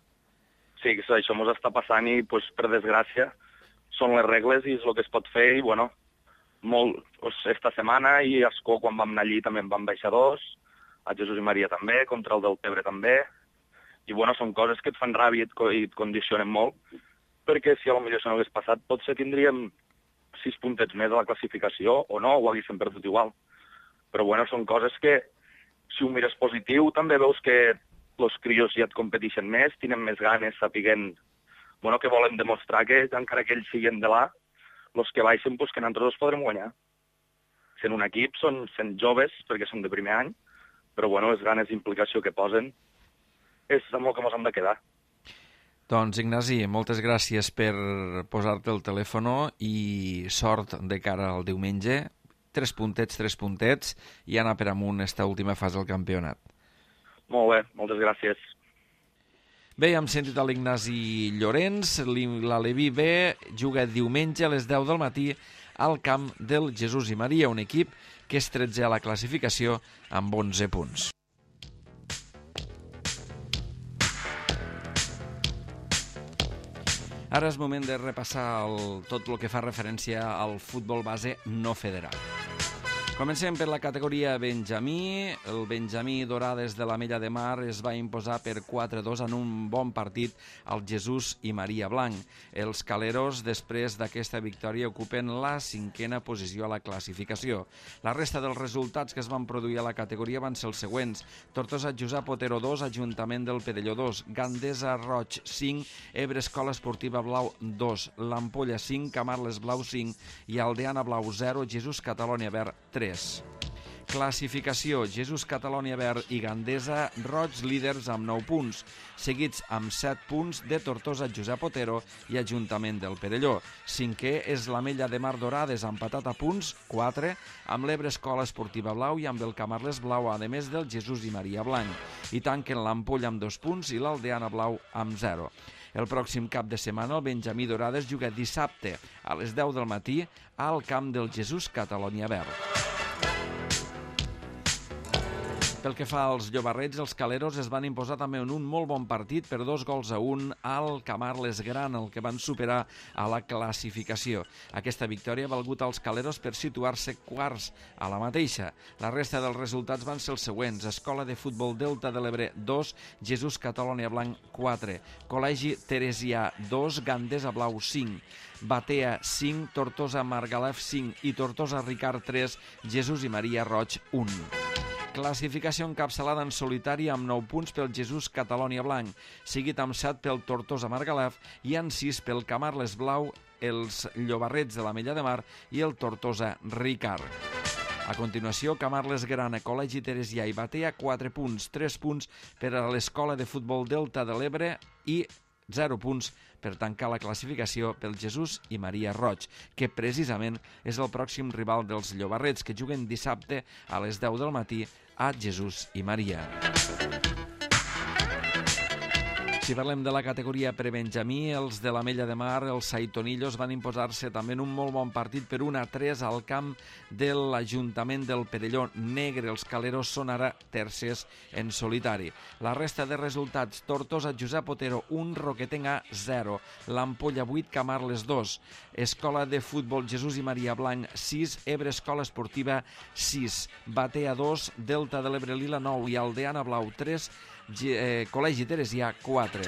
Sí, això ens està passant i, pues, per desgràcia, són les regles i és el que es pot fer i, bueno, molt, pues, esta setmana i a Escó, quan vam anar allí, també en vam baixar dos, a Jesús i Maria també, contra el del Tebre també, i, bueno, són coses que et fan ràbia i et condicionen molt, perquè si a lo millor això no hagués passat, potser tindríem sis puntets més a la classificació, o no, ho haguéssim perdut igual. Però, bueno, són coses que si ho mires positiu, també veus que els crios ja et competeixen més, tenen més ganes, sapiguent bueno, que volen demostrar que, encara que ells siguin de là, els que baixen, pues, que nosaltres els podrem guanyar. Sent un equip, són sent joves, perquè són de primer any, però bueno, les ganes d'implicació que posen és amb el que ens hem de quedar. Doncs, Ignasi, moltes gràcies per posar-te el telèfon i sort de cara al diumenge. Tres puntets, tres puntets, i anar per amunt esta última fase del campionat. Molt bé, moltes gràcies. Bé, hem sentit a l'Ignasi Llorenç, l'Aleví B juga diumenge a les deu del matí al camp del Jesús i Maria, un equip que és tretzè a la classificació amb onze punts. Ara és moment de repassar el, tot el que fa referència al futbol base no federal. Comencem per la categoria Benjamí. El Benjamí Dorades de l'Ametlla de Mar es va imposar per quatre a dos en un bon partit al Jesús i Maria Blanc. Els caleros, després d'aquesta victòria, ocupen la cinquena posició a la classificació. La resta dels resultats que es van produir a la categoria van ser els següents. Tortosa Josep Otero dos, Ajuntament del Perelló dos, Gandesa Roig cinc, Ebre Escola Esportiva Blau dos, l'Ampolla cinc, Camarles Blau cinc i Aldeana Blau zero, Jesús Catalònia Verd tres. Classificació: Jesús Catalònia Verd i Gandesa Roig líders amb nou punts, seguits amb set punts de Tortosa Josep Otero i Ajuntament del Perelló. Cinquè és l'Ametlla de Mar Dorades, empatat a punts, quatre, amb l'Ebre Escola Esportiva Blau i amb el Camarles Blau, a més del Jesús i Maria Blanc. I tanquen l'Ampolla amb dos punts i l'Aldeana Blau amb zero. El pròxim cap de setmana el Benjamí Dorades juga dissabte a les deu del matí al camp del Jesús Catalònia Verd. Pel que fa als llobarrets, els caleros es van imposar també en un molt bon partit per dos gols a un al Camarles Gran, el que van superar a la classificació. Aquesta victòria ha valgut als caleros per situar-se quarts a la mateixa. La resta dels resultats van ser els següents: Escola de Futbol Delta de l'Ebre dos, Jesús Catalònia Blanc quatre, Col·legi Teresià dos, Gandesa Blau cinc, Batea cinc, Tortosa Margalef cinc i Tortosa Ricard tres, Jesús i Maria Roig un. Classificació encapçalada en solitari amb nou punts pel Jesús Catalònia Blanc, seguit amb set pel Tortosa Margalef i amb sis pel Camarles Blau, els Llobarrets de l'Ametlla de Mar i el Tortosa Ricard. A continuació, Camarles Gran, Col·legi Teresià i Batea, quatre punts, tres punts per a l'Escola de Futbol Delta de l'Ebre i zero punts per tancar la classificació pel Jesús i Maria Roig, que precisament és el pròxim rival dels Llobarrets, que juguen dissabte a les deu del matí a Jesús i Maria. Si parlem de la categoria prebenjamí, els de l'Ametlla de Mar, els Saitonillos, van imposar-se també en un molt bon partit per un a tres al camp de l'Ajuntament del Perelló Negre. Els caleros són ara tercers en solitari. La resta de resultats: Tortosa Josep Otero un, Roquetenc A zero, l'Ampolla vuit, Camarles dos, Escola de Futbol Jesús i Maria Blanc sis, Ebre Escola Esportiva sis, Batea dos, Delta de l'Ebre Lila nou i Aldeana Blau tres, eh, Col·legi Teresià quatre.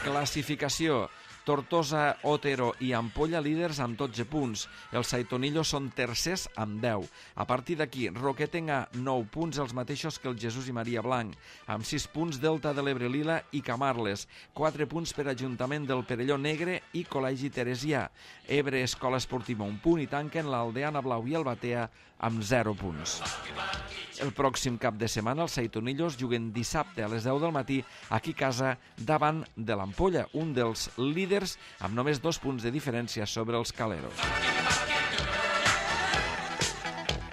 Classificació: Tortosa, Otero i Ampolla líders amb dotze punts. Els Saitonillos són tercers amb deu. A partir d'aquí, Roquetenc A nou punts, els mateixos que el Jesús i Maria Blanc. Amb sis punts, Delta de l'Ebre Lila i Camarles. quatre punts per Ajuntament del Perelló Negre i Col·legi Teresià. Ebre Escola Esportiva un punt i tanquen l'Aldeana Blau i el Batea amb zero punts. El pròxim cap de setmana els Saitonillos juguen dissabte a les deu del matí aquí a casa davant de l'Ampolla, un dels líders amb només dos punts de diferència sobre els caleros.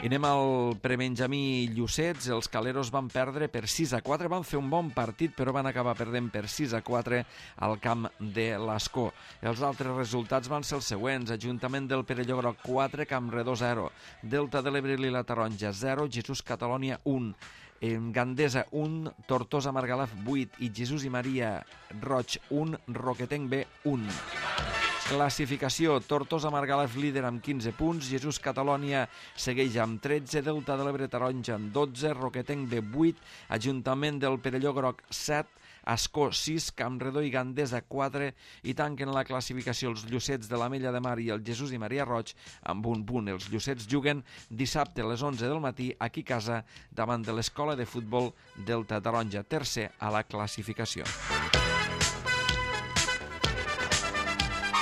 I anem al prebenjamí Llucets. Els caleros van perdre per sis a quatre, van fer un bon partit però van acabar perdent per sis a quatre al camp de l'Ascó. Els altres resultats van ser els següents: Ajuntament del Perelló Groc quatre, Campredó zero, Delta de l'Ebre Lila Taronja zero, Jesús Catalònia un, Gandesa un, Tortosa Margalef vuit i Jesús i Maria Roig un, Roquetenc B un. Classificació: Tortosa Margalef líder amb quinze punts, Jesús Catalònia segueix amb tretze, Delta de l'Ebre Taronja amb dotze, Roquetenc B vuit, Ajuntament del Perelló Groc set, Ascó sis, Campredó i Gandesa quatre i tanquen la classificació els Llucets de l'Ametlla de Mar i el Jesús i Maria Roig amb un punt. Els Llucets juguen dissabte a les onze del matí aquí a casa davant de l'Escola de Futbol Delta Taronja, tercer a la classificació.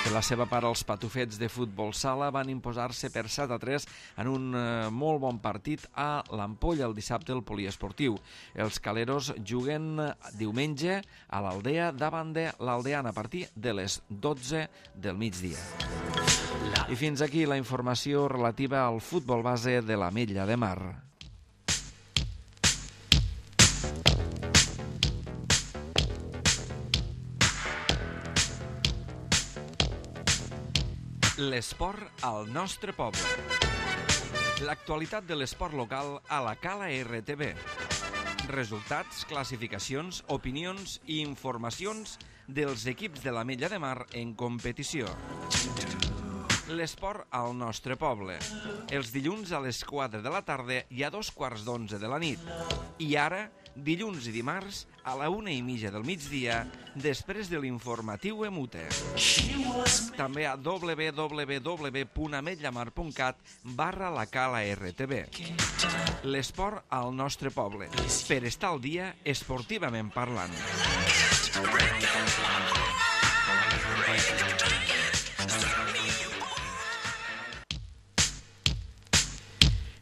Per la seva part, els patufets de futbol sala van imposar-se per set a tres en un eh, molt bon partit a l'Ampolla el dissabte al poliesportiu. Els caleros juguen diumenge a l'Aldea davant de l'Aldeana a partir de les dotze del migdia. I fins aquí la informació relativa al futbol base de l'Ametlla de Mar. L'esport al nostre poble. L'actualitat de l'esport local a la Cala R T B. Resultats, classificacions, opinions i informacions dels equips de l'Ametlla de Mar en competició. L'esport al nostre poble. Els dilluns a les quatre de la tarda i a dos quarts d'onze de la nit. I ara, dilluns i dimarts, a la una i mitja del migdia, després de l'informatiu Emute. També a w w w punt ametllamar punt cat barra la Cala R T B. L'esport al nostre poble. Per estar al dia, esportivament parlant.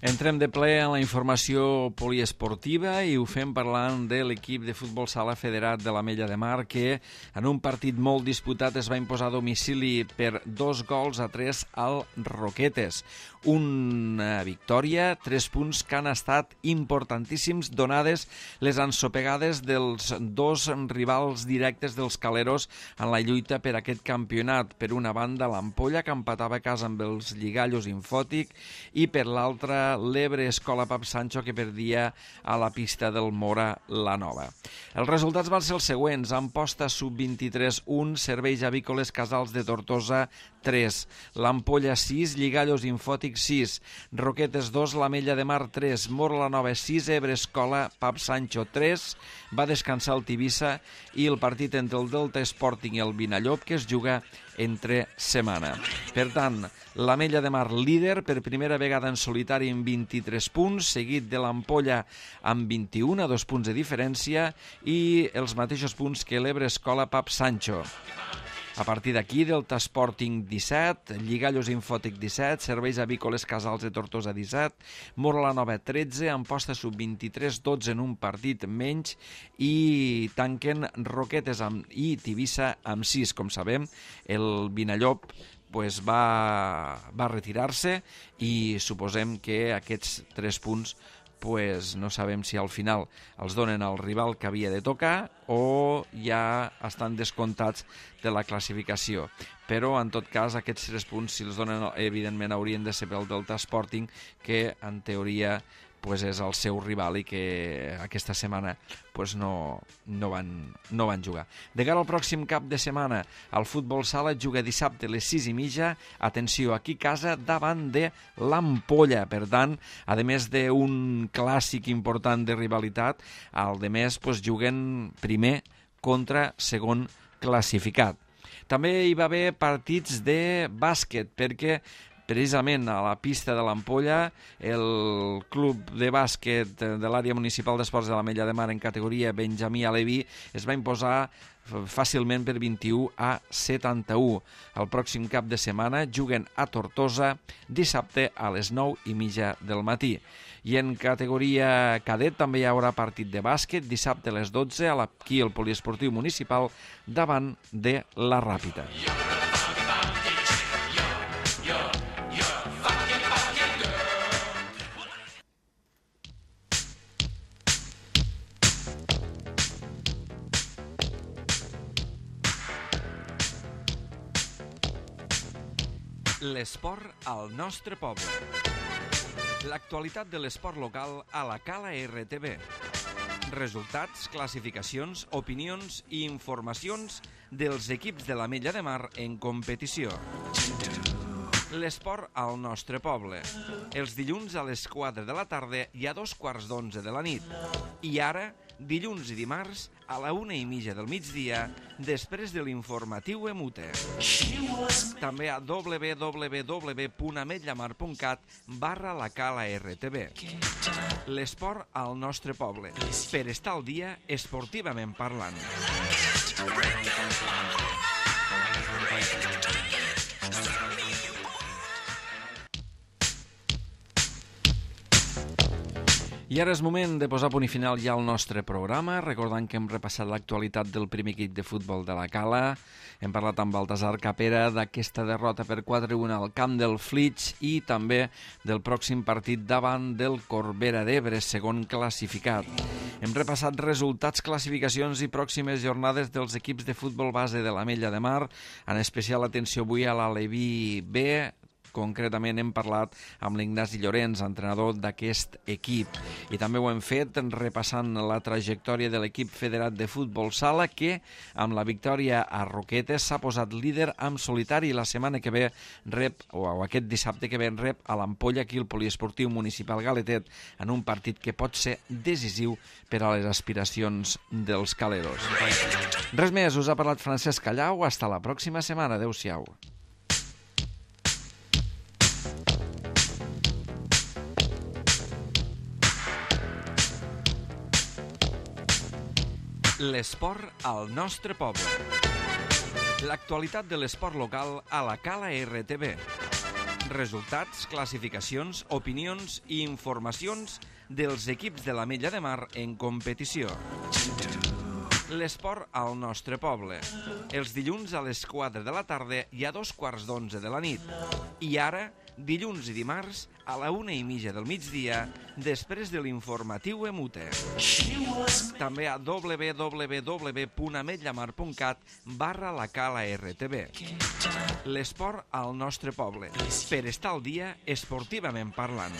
Entrem de ple en la informació poliesportiva i ho fem parlant de l'equip de futbol sala federat de l'Ametlla de Mar que en un partit molt disputat es va imposar a domicili per dos gols a tres al Roquetes. Una victòria, tres punts que han estat importantíssims donades les ensopegades dels dos rivals directes dels caleros en la lluita per aquest campionat. Per una banda l'Ampolla que empatava a casa amb els Lligallos Infòtic i per l'altra l'Ebre Escola Pap Sancho que perdia a la pista del Mora la Nova. Els resultats van ser els següents: Amposta sub vint-i-tres un, Serveis Avícoles Casals de Tortosa tres, l'Ampolla sis, Lligallos Infòtic sis, Roquetes dos, l'Ametlla de Mar tres, Mora la Nova sis, Ebre Escola Pap Sancho tres, va descansar el Tivissa i el partit entre el Delta Sporting i el Vinallop que es juga entre setmana. Per tant, l'Ametlla de Mar líder per primera vegada en solitari amb vint-i-tres punts, seguit de l'Ampolla amb vint-i-un, a dos punts de diferència, i els mateixos punts que l'Ebre Escola Pap Sancho. A partir d'aquí, Delta Sporting disset, Lligallos Infòtic disset, Serveis Avícoles Casals de Tortosa disset, Mora la Nova tretze, Amposta sub vint-i-tres, dotze en un partit menys i tanquen Roquetes amb, i Tivissa amb sis. Com sabem, el Vinallop pues, va, va retirar-se i suposem que aquests tres punts pues no sabem si al final els donen al rival que havia de tocar o ja estan descomptats de la classificació. Però, en tot cas, aquests tres punts, si els donen, evidentment, haurien de ser pel Delta Sporting, que, en teoria, pues és el seu rival i que aquesta setmana pues no, no, van, no van jugar. De cara al pròxim cap de setmana, el futbol sala juga dissabte a les sis i mitja, atenció, aquí a casa, davant de l'Ampolla. Per tant, a més d'un clàssic important de rivalitat, al de més pues, juguen primer contra segon classificat. També hi va haver partits de bàsquet, perquè precisament a la pista de l'Ampolla, el club de bàsquet de l'àrea municipal d'esports de l'Ametlla de Mar en categoria Benjamí Aleví es va imposar fàcilment per vint-i-u a setanta-u. El pròxim cap de setmana juguen a Tortosa dissabte a les nou i mitja del matí. I en categoria cadet també hi haurà partit de bàsquet dissabte a les dotze aquí al poliesportiu municipal davant de la Ràpita. L'esport al nostre poble. L'actualitat de l'esport local a la Cala R T B. Resultats, classificacions, opinions i informacions dels equips de l'Ametlla de Mar en competició. L'esport al nostre poble. Els dilluns a les quatre de la tarda i a dos quarts d'onze de la nit. I ara, dilluns i dimarts, a la una i mitja del migdia, després de l'informatiu Emute. També a w w w punt ametlla mar punt cat barra la cala R T B. L'esport al nostre poble. Per estar al dia, esportivament parlant. I ara és moment de posar punt i final ja al nostre programa, recordant que hem repassat l'actualitat del primer equip de futbol de la Cala. Hem parlat amb Baltasar Capera d'aquesta derrota per quatre a un al camp del Flix i també del pròxim partit davant del Corbera d'Ebre, segon classificat. Hem repassat resultats, classificacions i pròximes jornades dels equips de futbol base de l'Ametlla de Mar, en especial atenció avui a l'Aleví B. Concretament hem parlat amb l'Ignasi Llorenç, entrenador d'aquest equip. I també ho hem fet repassant la trajectòria de l'equip federat de futbol sala que, amb la victòria a Roquetes, s'ha posat líder en solitari i la setmana que ve rep, o aquest dissabte que ve rep a l'Ampolla aquí al Poliesportiu Municipal Galetet en un partit que pot ser decisiu per a les aspiracions dels caleros. Res més, us ha parlat Francesc Callau. Hasta la pròxima setmana. Adéu-siau. L'esport al nostre poble. L'actualitat de l'esport local a la Cala R T B. Resultats, classificacions, opinions i informacions dels equips de l'Ametlla de Mar en competició. L'esport al nostre poble. Els dilluns a les quatre de la tarda i a dos quarts d'onze de la nit. I ara, dilluns i dimarts, a la una i mitja del migdia, després de l'informatiu Emute. També a w w w punt ametlla mar punt cat barra la cala R T B. L'esport al nostre poble. Per estar al dia, esportivament parlant.